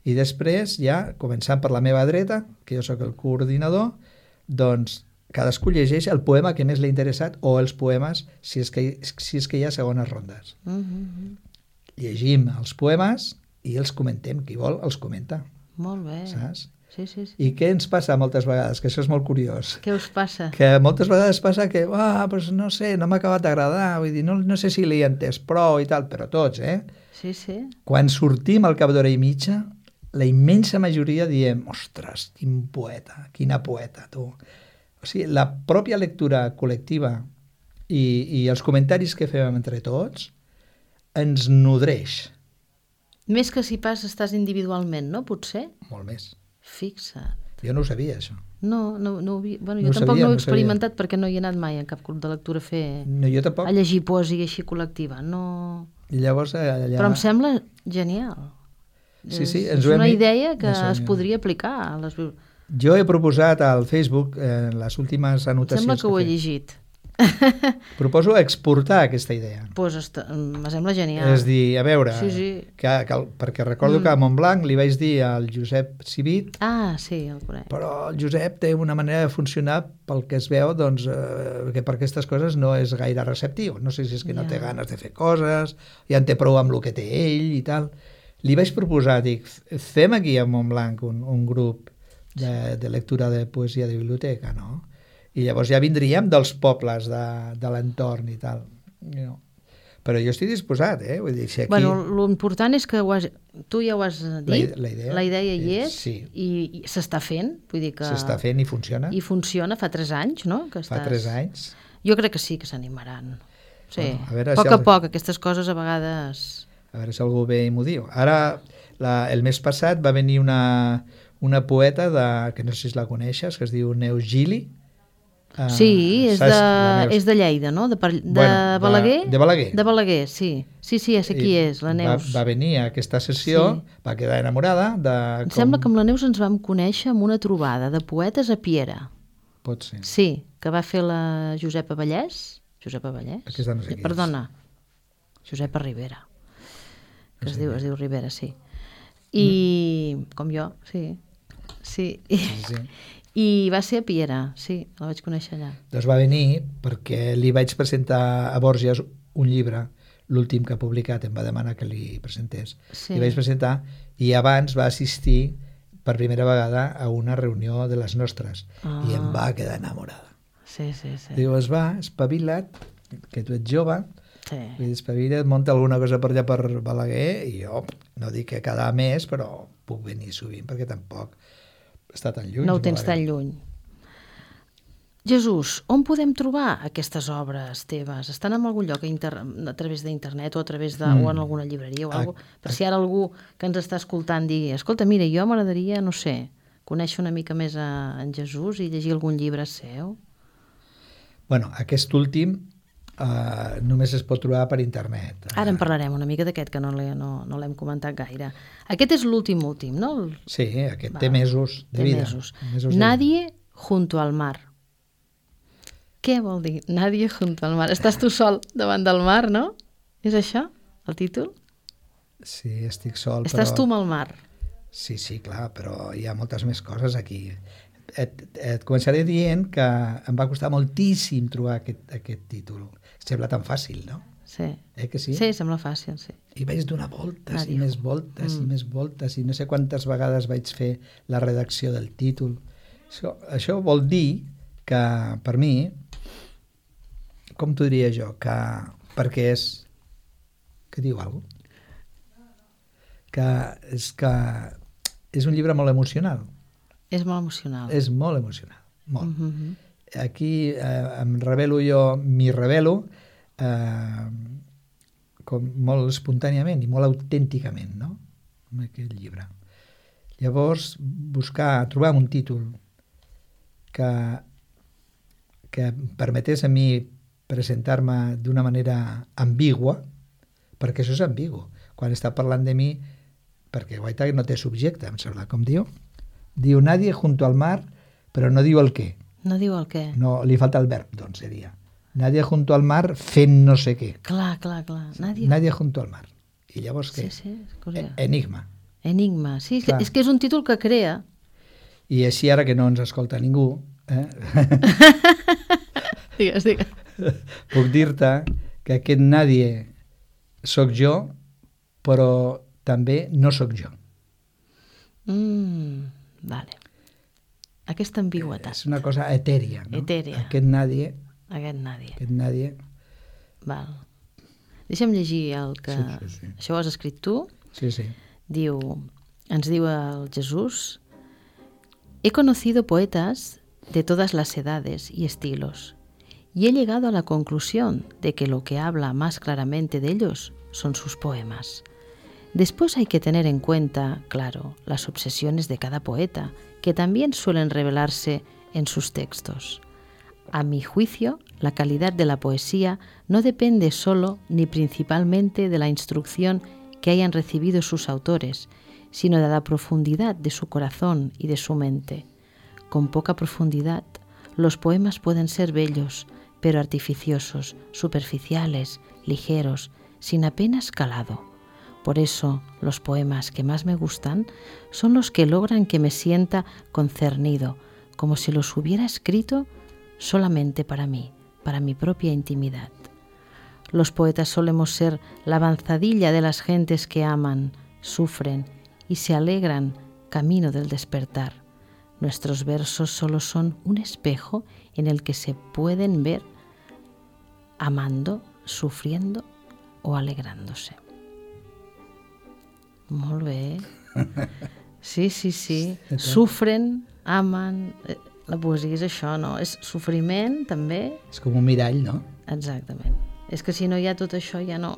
I després, ja, començant per la meva dreta, que jo sóc el coordinador, doncs cadascú llegeix el poema que més l'ha interessat o els poemes, si és que, si és que hi ha segones rondes. Mm -hmm. Llegim els poemes i els comentem. Qui vol, els comenta, Molt bé. saps? Sí, sí, sí. I què ens passa moltes vegades? Que això és molt curiós. Què us passa? Que moltes vegades passa que, ah, pues no sé, no m'ha acabat d'agradar, vull dir, no, no sé si l'he entès prou i tal, però tots, eh? Sí, sí. Quan sortim al cap d'hora i mitja, la immensa majoria diem, ostres, quin poeta, quina poeta, tu. O sigui, la pròpia lectura col·lectiva i, i els comentaris que fem entre tots ens nodreix Més que si pas estàs individualment, no? Potser? molt més. Fixa't. Jo no ho sabia, això. No, no, no ho vi... bueno, No jo ho tampoc sabia, no ho he no ho sabia. experimentat perquè no hi he anat mai en cap club de lectura a fer... No, jo tampoc. a llegir poesia així col·lectiva. No... I llavors allà... Però em sembla genial. Sí, sí, És, ens és ho hem una dit. idea que Ens ho hem es dit. podria aplicar a les... bibli- Jo he proposat al Facebook, eh, en les últimes Em anotacions... sembla que ho he he fet, llegit. proposo exportar aquesta idea. Pues est... me sembla genial. És dir, a veure, Sí, sí. Que, que, el- perquè recordo mm. que a Montblanc li vaig dir al Josep Civit, Ah, sí, el conec. però el Josep té una manera de funcionar pel que es veu, doncs, eh, que per aquestes coses no és gaire receptiu. No sé si és que no Ja. té ganes de fer coses, ja en té prou amb el que té ell i tal. Li vaig proposar, dic, fem aquí a Montblanc un, un grup de, de lectura de poesia de biblioteca, no? I llavors ja vindríem dels pobles de, de l'entorn i tal. No. Però jo estic disposat, eh? Vull dir, si aquí... Bueno, l'important és que ho has... tu ja ho has dit, La, la idea, la idea hi és, sí. i, i s'està fent, vull dir que... S'està fent i funciona. I funciona, fa tres anys, no? Que Fa estàs... tres anys. Jo crec que sí que s'animaran. Sí, Bueno, a veure a poc si a el- poc, aquestes coses a vegades... A veure si algú ve i m'ho diu. Ara, la, el mes passat va venir una, una poeta de, que no sé si la coneixes, que es diu Neus Gili, Uh, Sí, és saps? de, La Neus. és de Lleida, no? De, Par- de Bueno, de- Balaguer? de Balaguer. De Balaguer, sí. Sí, sí, ja sé qui I és, la Neus. Va, va venir a aquesta sessió, Sí. va quedar enamorada de Em com... sembla que amb la Neus ens vam conèixer amb una trobada de poetes a Piera. Pot ser. Sí, que va fer la Josepa Vallès. Josepa Vallès? Aquesta no sé qui és. Perdona, Josepa Rivera. Que No es sé diu, qui es diu Rivera, sí. I, com jo, sí. Sí. I, Sí, sí. I va ser a Piera, sí, la vaig conèixer allà. Doncs va venir perquè li vaig presentar a Borges un llibre, l'últim que ha publicat, em va demanar que li presentés. Sí. Li vaig presentar i abans va assistir per primera vegada a una reunió de les nostres Ah. i em va quedar enamorada. Sí, sí, sí. Diu, es va, espavila't, que tu ets jove, sí. vull dir, espavila't, munta alguna cosa per allà per Balaguer i jo no dic que cada mes, però puc venir sovint perquè tampoc està tan lluny. No ho tens tan Balaguer. lluny. Jesús, on podem trobar aquestes obres teves? Estan en algun lloc a, inter... a través d'internet o a través de... Mm. o en alguna llibreria o Ah, alguna cosa? Per si ara algú que ens està escoltant digui, escolta, mira, jo m'agradaria, no sé, conèixer una mica més a... en Jesús i llegir algun llibre seu. Bueno, aquest últim uh, només es pot trobar per internet. Ara en parlarem una mica d'aquest, que no l'he no, no l'hem comentat gaire. Aquest és l'últim últim, no? El... Sí, aquest Va, té mesos de té vida. mesos. mesos de Nadie junto al mar. Què vol dir? Nadie junto al mar. Estàs tu sol davant del mar, no? És això, el títol? vida. Sí, estic sol, Estàs però... tu amb el mar. Sí, sí, clar, però hi ha moltes més coses aquí. Et, et començaré dient que em va costar moltíssim trobar aquest, aquest títol. Sembla tan fàcil, no? Sí. Eh que sí? Sí, sembla fàcil, sí. I vaig donar voltes Nadie. i més voltes Mm. i més voltes i no sé quantes vegades vaig fer la redacció del títol. Això, això vol dir que, per mi, com t'ho diria jo, que perquè és... que diu alguna cosa? Que és que és un llibre molt emocional. És molt emocional. És molt emocional, molt. Mm -hmm. Aquí eh, em revelo jo, m'hi revelo eh, com molt espontàniament i molt autènticament, no?, en aquest llibre. Llavors, buscar, trobar un títol que, que em permetés a mi presentar-me d'una manera ambigua, perquè això és ambigu. Quan està parlant de mi, perquè Guaita no té subjecte, em sembla, com diu, diu nadie junto al mar, però no diu el què. No diu el què. No, li falta el verb, doncs seria. Nadie junto al mar fent no sé què. Clar, clar, clar. Nadie... Nadie junto al mar. I llavors què? Sí, sí, és curiós. E- Enigma. Enigma. Sí, és que, Clar. és que és un títol que crea. I així ara que no ens escolta ningú, eh? Digues, digues. puc dir-te que aquest nadie sóc jo, però també no sóc jo. Mm, vale. Aquesta ambigüetat. És una cosa etèria, no? Etèria. Aquest nadie, Aquest nadie. aquest nadie... Val. Deixa'm llegir el que... Sí, sí, sí. Això ho has escrit tu. Sí, sí. Diu, ens diu el Jesús: he conocido poetas de todas las edades y estilos y he llegado a la conclusión de que lo que habla más claramente de ellos son sus poemas. Después hay que tener en cuenta, claro, las obsesiones de cada poeta, que también suelen revelarse en sus textos. A mi juicio, la calidad de la poesía no depende solo ni principalmente de la instrucción que hayan recibido sus autores, sino de la profundidad de su corazón y de su mente. Con poca profundidad, los poemas pueden ser bellos, pero artificiosos, superficiales, ligeros, sin apenas calado. Por eso, los poemas que más me gustan son los que logran que me sienta concernido, como si los hubiera escrito solamente para mí, para mi propia intimidad. Los poetas solemos ser la avanzadilla de las gentes que aman, sufren y se alegran camino del despertar. Nuestros versos solo son un espejo en el que se pueden ver amando, sufriendo o alegrándose. Molt bé. Sí, sí, sí. Sufren, amen... La poesia és això, no? És sofriment, també. És com un mirall, no? Exactament. És que si no hi ha tot això, ja no,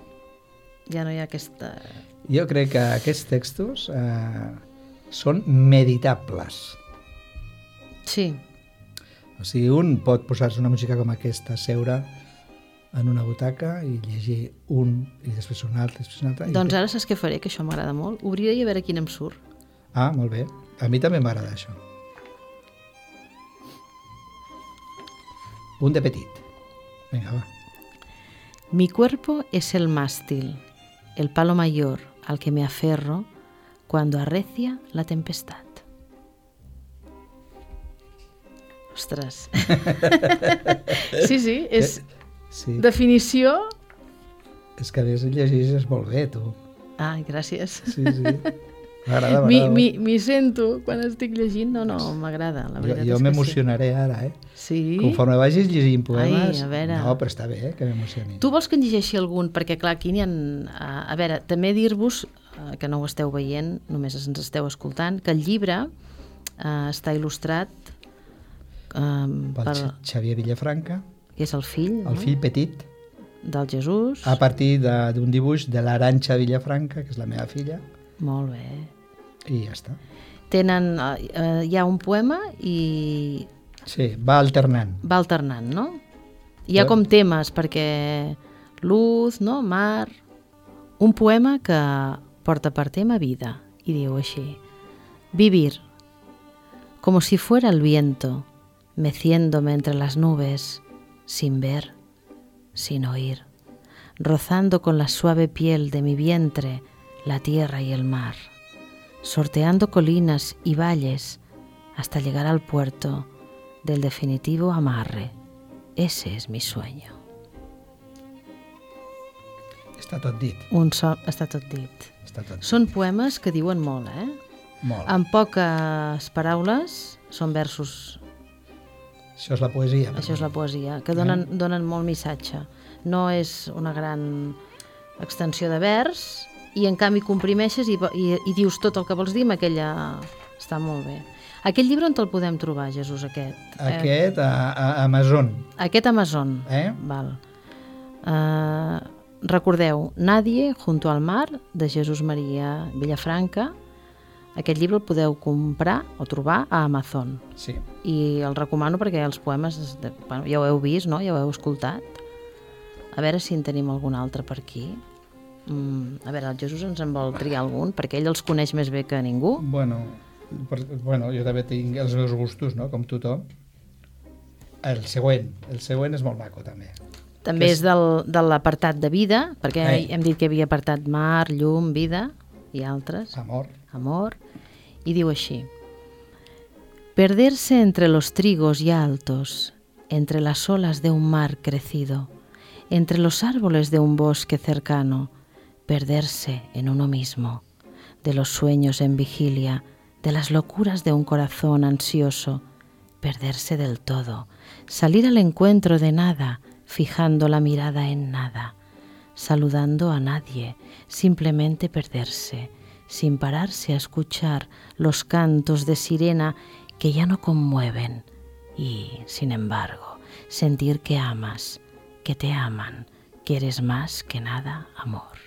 ja no hi ha aquesta... Jo crec que aquests textos eh, són meditables. Sí. O sigui, un pot posar-se una música com aquesta, seure en una butaca i llegir un, i després un altre, després un altre. Doncs ara saps què faré, que això m'agrada molt? Obriré i a veure quin em surt. Ah, molt bé. A mi també m'agrada això. Un de petit. Vinga, va. Mi cuerpo es el mástil, el palo mayor al que me aferro cuando arrecia la tempestad. Ostres. Sí, sí, és Sí. definició... És que a més llegeixes molt bé, tu. Ai, gràcies. Sí, sí. M'agrada, M'hi m'agrada. m'hi- m'hi sento quan estic llegint. No, no, m'agrada, la Jo, veritat jo és que m'emocionaré ara, eh? sí. Sí? Conforme vagis llegint poemes... Ai, a veure. No, però està bé, eh, que m'emocioni. Tu vols que en llegeixi algun? Perquè, clar, aquí n'hi ha... A, a veure, també dir-vos, eh, que no ho esteu veient, només ens esteu escoltant, que el llibre eh, està il·lustrat eh, Pel per, Xa- Xavier Villafranca, que és el fill, el no? fill petit, del Jesús. a partir de- d'un dibuix de l'Arantxa Villafranca, que és la meva filla, Molt bé. i ja està. Tenen... Eh, eh, hi ha un poema i Sí, va alternant. va alternant, no? Hi ha Bueno. com temes, perquè luz, no? Mar... Un poema que porta per tema vida, i diu així: vivir, como si fuera el viento, meciéndome entre las nubes, sin ver, sin oír, rozando con la suave piel de mi vientre la tierra y el mar, sorteando colinas y valles hasta llegar al puerto del definitivo amarre. Ese es mi sueño. Està tot dit. Un so... Està tot dit. Està tot dit. Són poemes que diuen molt, eh? Molt. Amb poques paraules, són versos. Això és la poesia. Això és la poesia, que donen, donen molt missatge. No és una gran extensió de vers i en canvi comprimeixes i, i, i dius tot el que vols dir amb aquella... Està molt bé. Aquest llibre on te'l podem trobar, Jesús, aquest? Aquest a, a Amazon. Eh, aquest Amazon. Eh? Val. Uh, recordeu, Nadie junto al mar, de Jesús Maria Villafranca. Aquest llibre el podeu comprar o trobar a Amazon. Sí. I el recomano perquè els poemes, de, bueno, ja ho heu vist, no? Ja ho heu escoltat. A veure si en tenim algun altre per aquí. Mm, a veure, el Jesús ens en vol triar algun, perquè ell els coneix més bé que ningú. Bueno, per, bueno, jo també tinc els meus gustos, no?, com tothom. El següent. El següent és molt maco, també. També Que és del, de l'apartat de vida, perquè Eh. hem dit que hi havia apartat mar, llum, vida i altres. Amor. Amor, y digo así: perderse entre los trigos ya altos, entre las olas de un mar crecido, entre los árboles de un bosque cercano, perderse en uno mismo, de los sueños en vigilia, de las locuras de un corazón ansioso, perderse del todo, salir al encuentro de nada, fijando la mirada en nada, saludando a nadie, simplemente perderse, sin pararse a escuchar los cantos de sirena que ya no conmueven y, sin embargo, sentir que amas, que te aman, que eres más que nada amor.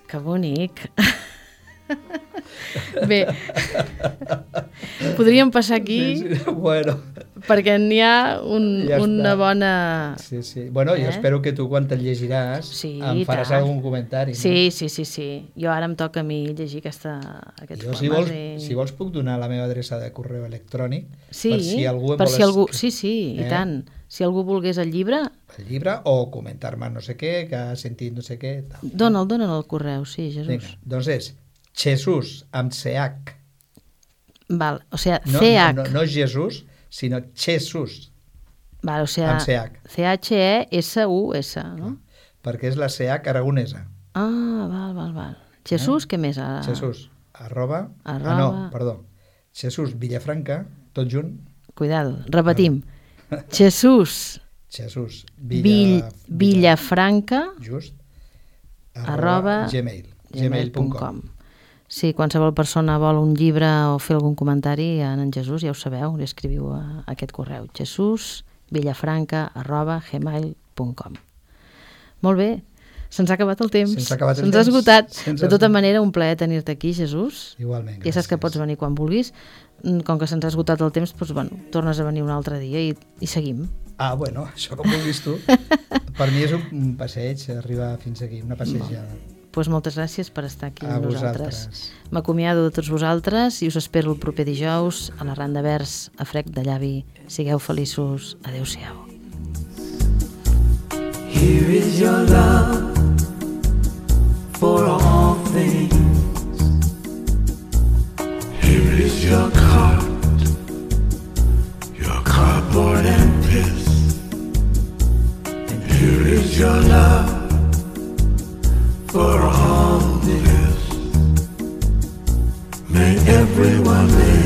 Que bonic! Bé, podríem passar aquí Sí, sí. Bueno, perquè n'hi ha un, Ja una està. bona... sí, sí. Bueno, jo Eh? espero que tu quan te'l llegiràs Sí, em faràs tant. algun comentari. Sí, sí, sí, sí. Jo ara em toca a mi llegir aquesta, No? aquests Jo, si poemes. vols, i... si vols puc donar la meva adreça de correu electrònic Sí, per si algú em per vol si algú... es- Sí, sí, i Eh? tant. Si algú volgués el llibre, el llibre o comentar-me no sé què, que ha sentit no sé què. Tal. dona'l, dona'l al correu, sí, Jesús. Vinga, doncs és Jesús amb C H. Val, o sea, No, C H. no, no, no Jesús, sinó Jesús, Val, o sea, amb C H. C H E S U S, no? perquè és la C H aragonesa. Ah, val, val, val. Jesús, què més? Ah, Jesús, arroba... Arroba. Ah, no, perdó. Jesús Villafranca, tot junt. Cuidado, repetim. Jesús Jesús Vill, Villa, Villafranca just, arroba gmail, gmail gmail punt punt com. com. Sí, qualsevol persona vol un llibre o fer algun comentari en en Jesús, ja ho sabeu, li escriviu a aquest correu, jesús villafranca arroba gmail punt com. Molt bé, Se'ns ha acabat el temps. Se'ns ha acabat el Se'ns ha temps. esgotat. Se'ns De ha tota esgotat. manera, un plaer tenir-te aquí, Jesús. Igualment, Ja saps que gràcies. pots venir quan vulguis. Com que se'ns ha esgotat el temps, doncs, bueno, tornes a venir un altre dia i, i seguim. Ah, bueno, això com vulguis tu. Per mi és un, un passeig, arribar fins aquí, una passejada. Doncs pues moltes gràcies per estar aquí A amb nosaltres. vosaltres. M'acomiado de tots vosaltres i us espero el proper dijous a la Randa Vers a Frec de Llavi. Sigueu feliços. Adéu-siau. Here is your love for all things. Here is your card, your cardboard and piss. And here is your love for all this. May everyone live